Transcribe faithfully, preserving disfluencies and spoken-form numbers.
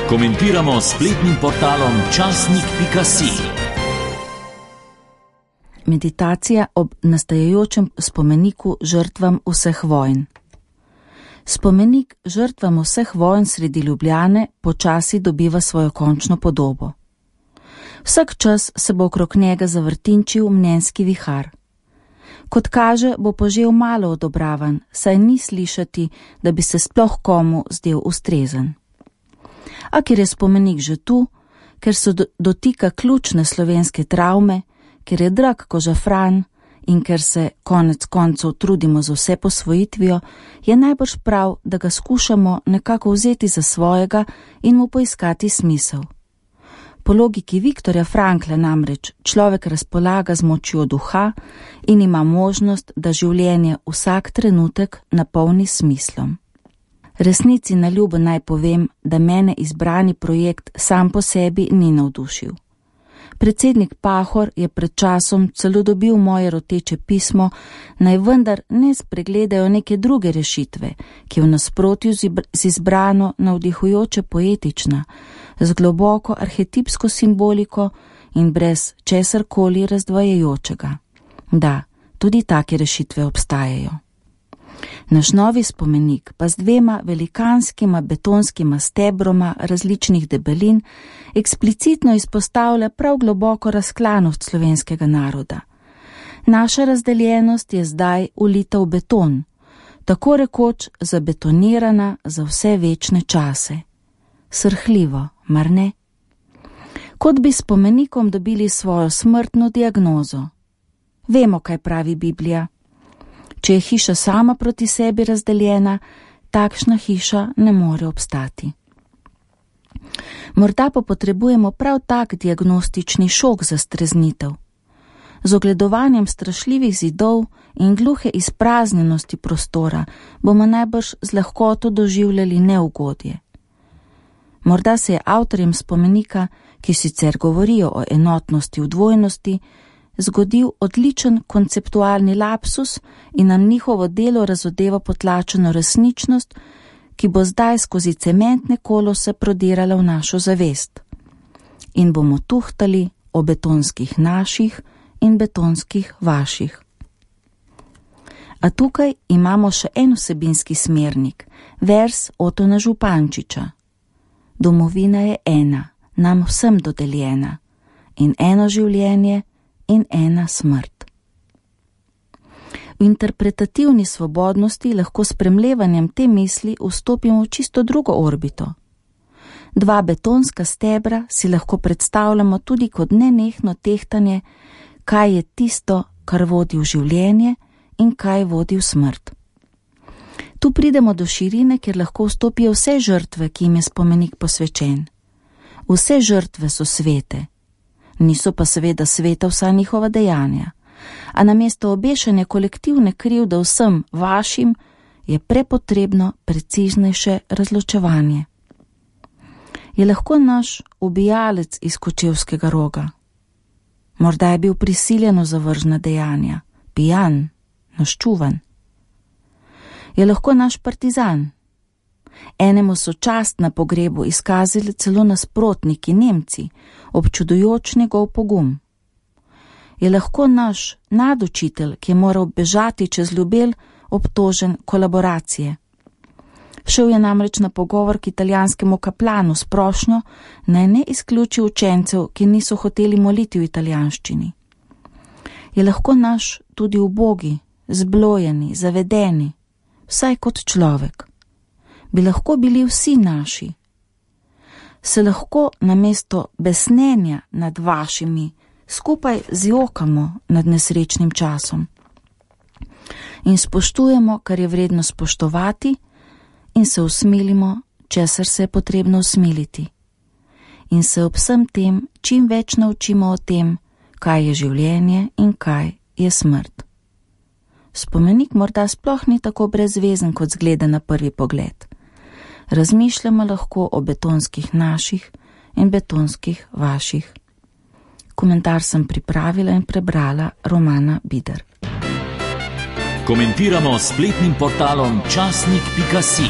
Komentiramo s spletnim portalom časnik pika si. Meditacija ob nastajajočem spomeniku žrtvam vseh vojn. Spomenik žrtvam vseh vojn sredi Ljubljane počasi dobiva svojo končno podobo. Vsak čas se bo okrog njega zavrtinčil mnenjski vihar. Kot kaže, bo požel malo odobravan, saj ni slišati, da bi se sploh komu zdel ustrezen. A ker je spomenik že tu, ker se dotika ključne slovenske travme, ker je drag ko žafran in ker se konec koncev trudimo z vse posvojitvijo, je najbrž prav, da ga skušamo nekako vzeti za svojega in mu poiskati smisel. Po logiki Viktorja Frankla namreč človek razpolaga z močjo duha in ima možnost, da življenje vsak trenutek napolni smislom. Resnici na ljubo naj povem, da mene izbrani projekt sam po sebi ni navdušil. Predsednik Pahor je pred časom celo dobil moje roteče pismo, naj vendar ne spregledajo neke druge rešitve, ki je v nasprotju z izbrano navdihujoče poetična, z globoko arhetipsko simboliko in brez česarkoli razdvajajočega. Da, tudi take rešitve obstajajo. Naš novi spomenik pa z dvema velikanskima betonskima stebroma različnih debelin eksplicitno izpostavlja prav globoko razklanost slovenskega naroda. Naša razdeljenost je zdaj ulita v beton, tako rekoč zabetonirana za vse večne čase. Srhljivo, mar ne? Kot bi spomenikom dobili svojo smrtno diagnozo. Vemo, kaj pravi Biblija. Če je hiša sama proti sebi razdeljena, takšna hiša ne more obstati. Morda pa potrebujemo prav tak diagnostični šok za streznitev. Z ogledovanjem strašljivih zidov in gluhe izpraznjenosti prostora bomo najbrž z lahkoto doživljali neugodje. Morda se je avtorjem spomenika, ki sicer govorijo o enotnosti v dvojnosti, zgodil odličen konceptualni lapsus in nam njihovo delo razodeva potlačeno resničnost, ki bo zdaj skozi cementne kolose prodirala v našo zavest. In bomo tuhtali o betonskih naših in betonskih vaših. A tukaj imamo še en vsebinski smernik, vers Otona Župančiča. Domovina je ena, nam vsem dodeljena, in eno življenje in ena smrt. V interpretativni svobodnosti lahko s premlevanjem te misli vstopimo v čisto drugo orbito. Dva betonska stebra si lahko predstavljamo tudi kot nenehno tehtanje, kaj je tisto, kar vodi v življenje in kaj vodi v smrt. Tu pridemo do širine, kjer lahko vstopijo vse žrtve, ki jim je spomenik posvečen. Vse žrtve so svete. Niso pa seveda sveta vsa njihova dejanja, a namesto obešanja kolektivne krivde vsem vašim je prepotrebno preciznejše razločevanje. Je lahko naš ubijalec iz Kočevskega Roga? Morda je bil prisiljen v zavržna dejanja, pijan, naščuvan. Je lahko naš partizan? Enemu so čast na pogrebu izkazali celo nasprotniki Nemci, občudujoč njegov pogum. Je lahko naš nadučitelj, ki je moral bežati čez Ljubelj, obtožen kolaboracije. Šel je namreč na pogovor k italijanskemu kaplanu s prošnjo, naj ne izključi učencev, ki niso hoteli moliti v italijanščini. Je lahko naš tudi ubogi, zblojeni, zavedeni, vsaj kot človek. Bi lahko bili vsi naši. Se lahko namesto besnenja nad vašimi skupaj zjokamo nad nesrečnim časom in spoštujemo, kar je vredno spoštovati, in se usmilimo, česar se je potrebno usmiliti, in se ob vsem tem čim več naučimo o tem, kaj je življenje in kaj je smrt. Spomenik morda sploh ni tako brezvezen, kot zgleda na prvi pogled. Razmišljamo lahko o betonskih naših in betonskih vaših. Komentar sem pripravila in prebrala Romana Bider. Komentiramo s spletnim portalom časnik pika si.